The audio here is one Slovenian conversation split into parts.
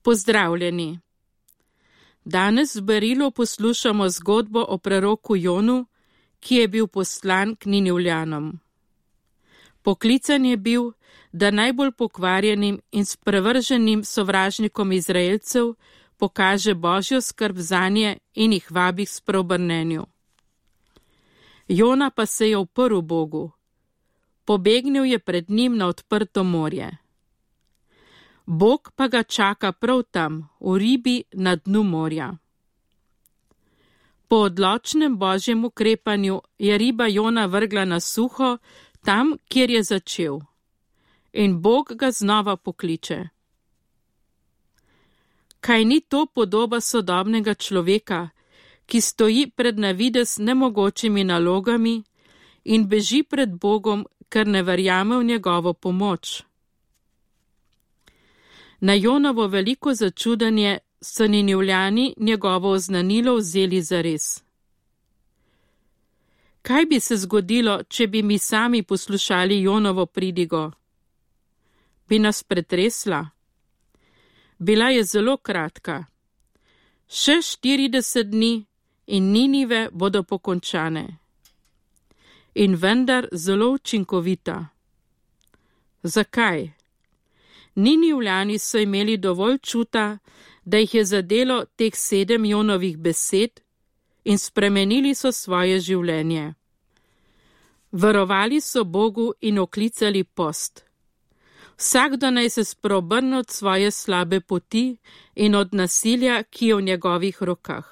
Pozdravljeni! Danes v Berilu poslušamo zgodbo o preroku Jonu, ki je bil poslan k Ninivljanom. Poklican je bil, da najbolj pokvarjenim in sprevrženim sovražnikom Izraelcev pokaže Božjo skrb zanje in jih vabi k spreobrnenju. Jona pa se je uprl Bogu. Pobegnil je pred njim na odprto morje. Bog pa ga čaka prav tam, v ribi na dnu morja. Po odločnem Božjem ukrepanju je riba Jona vrgla na suho, tam, kjer je začel. In Bog ga znova pokliče. Kaj ni to podoba sodobnega človeka, ki stoji pred na videz nemogočimi nalogami in beži pred Bogom, ker ne verjame v njegovo pomoč? Na Jonovo veliko začudenje so Ninivljani njegovo oznanilo vzeli zares. Kaj bi se zgodilo, če bi mi sami poslušali Jonovo pridigo? Bi nas pretresla? Bila je zelo kratka. Še 40 dni in Ninive bodo pokončane. In vendar zelo učinkovita. Zakaj? Ninivljani so imeli dovolj čuta, da jih je zadelo teh 7 Jonovih besed in spremenili so svoje življenje. Verovali so Bogu in oklicali post. Vsakdo naj se spreobrne od svoje slabe poti in od nasilja, ki je v njegovih rokah.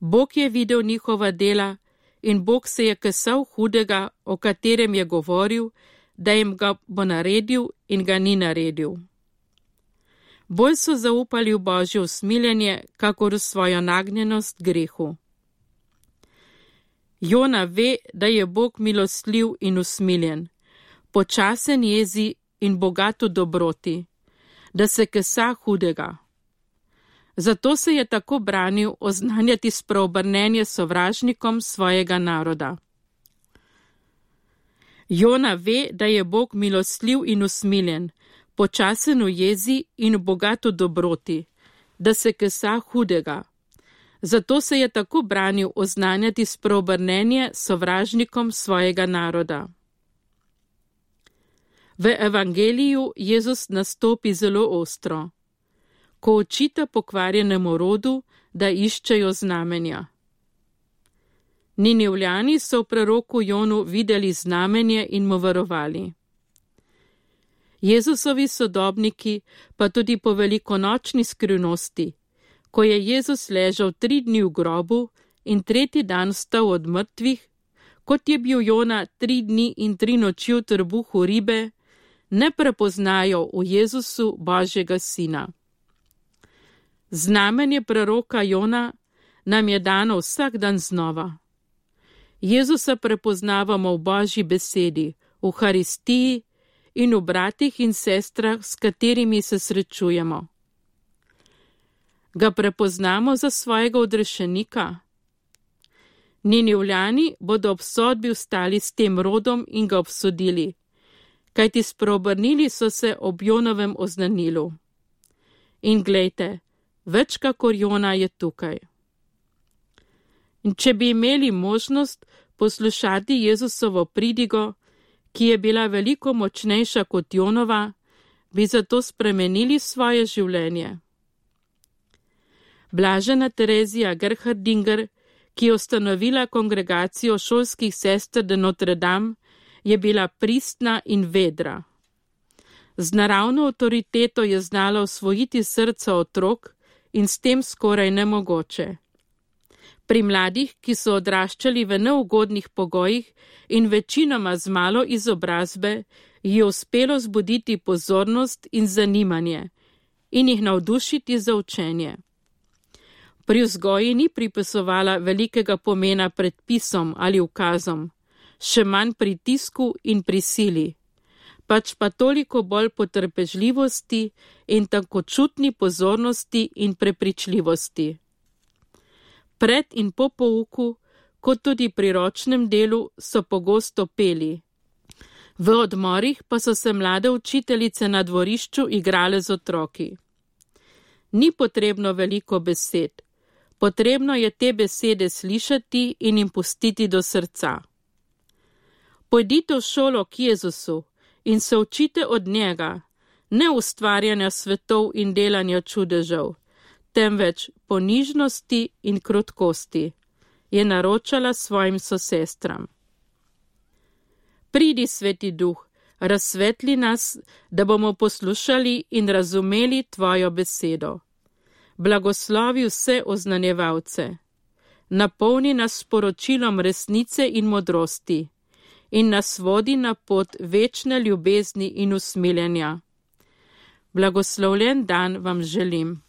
Bog je videl njihova dela in Bog se je kesal hudega, o katerem je govoril, da jim ga bo naredil in ga ni naredil. Bolj so zaupali v Božje usmiljenje, kakor v svojo nagnjenost grehu. Jona ve, da je Bog milostljiv in usmiljen, počasen jezi in bogat v dobroti, da se kesa hudega. Zato se je tako branil oznanjati spreobrnenje sovražnikom svojega naroda. Jona ve, da je Bog milostljiv in usmiljen, počasen v jezi in bogat v dobroti, da se kesa hudega. Zato se je tako branil oznanjati spreobrnenje sovražnikom svojega naroda. V evangeliju Jezus nastopi zelo ostro, ko očita pokvarjenemu rodu, da iščejo znamenja. Ninivljani so v preroku Jonu videli znamenje in mu verovali. Jezusovi sodobniki pa tudi po velikonočni skrivnosti, ko je Jezus ležal 3 dni v grobu in 3. dan vstal od mrtvih, kot je bil Jona 3 dni in 3 noči v trbuhu ribe, ne prepoznajo v Jezusu Božjega sina. Znamenje preroka Jona nam je dano vsak dan znova. Jezusa prepoznavamo v Božji besedi, v Haristiji in v bratih in sestrah, s katerimi se srečujemo. Ga prepoznamo za svojega odrešenika? Ninivljani bodo ob sodbi vstali s tem rodom in ga obsodili, kajti spreobrnili so se ob Jonovem oznanilu. In glejte, več kakor Jona je tukaj. In če bi imeli možnost poslušati Jezusovo pridigo, ki je bila veliko močnejša kot Jonova, bi zato spremenili svoje življenje. Blažena Terezija Gerhardinger, ki je ustanovila kongregacijo šolskih sester de Notre Dame, je bila pristna in vedra. Z naravno avtoriteto je znala osvojiti srca otrok in s tem skoraj nemogoče. Pri mladih, ki so odraščali v neugodnih pogojih in večinoma z malo izobrazbe, je uspelo zbuditi pozornost in zanimanje in jih navdušiti za učenje. Pri vzgoji ni pripisovala velikega pomena predpisom ali ukazom, še manj pritisku in prisili, pač pa toliko bolj potrpežljivosti in tankočutni pozornosti in prepričljivosti. Pred in po pouku, kot tudi pri ročnem delu, so pogosto peli. V odmorih pa so se mlade učiteljice na dvorišču igrale z otroki. Ni potrebno veliko besed. Potrebno je te besede slišati in jim pustiti do srca. Pojdite v šolo k Jezusu in se učite od njega, ne ustvarjanja svetov in delanja čudežev, temveč ponižnosti in krotkosti, je naročala svojim sosestram. Pridi, Sveti Duh, razsvetli nas, da bomo poslušali in razumeli tvojo besedo. Blagoslovi vse oznanjevalce. Napolni nas sporočilom resnice in modrosti in nas vodi na pot večne ljubezni in usmiljenja. Blagoslovljen dan vam želim.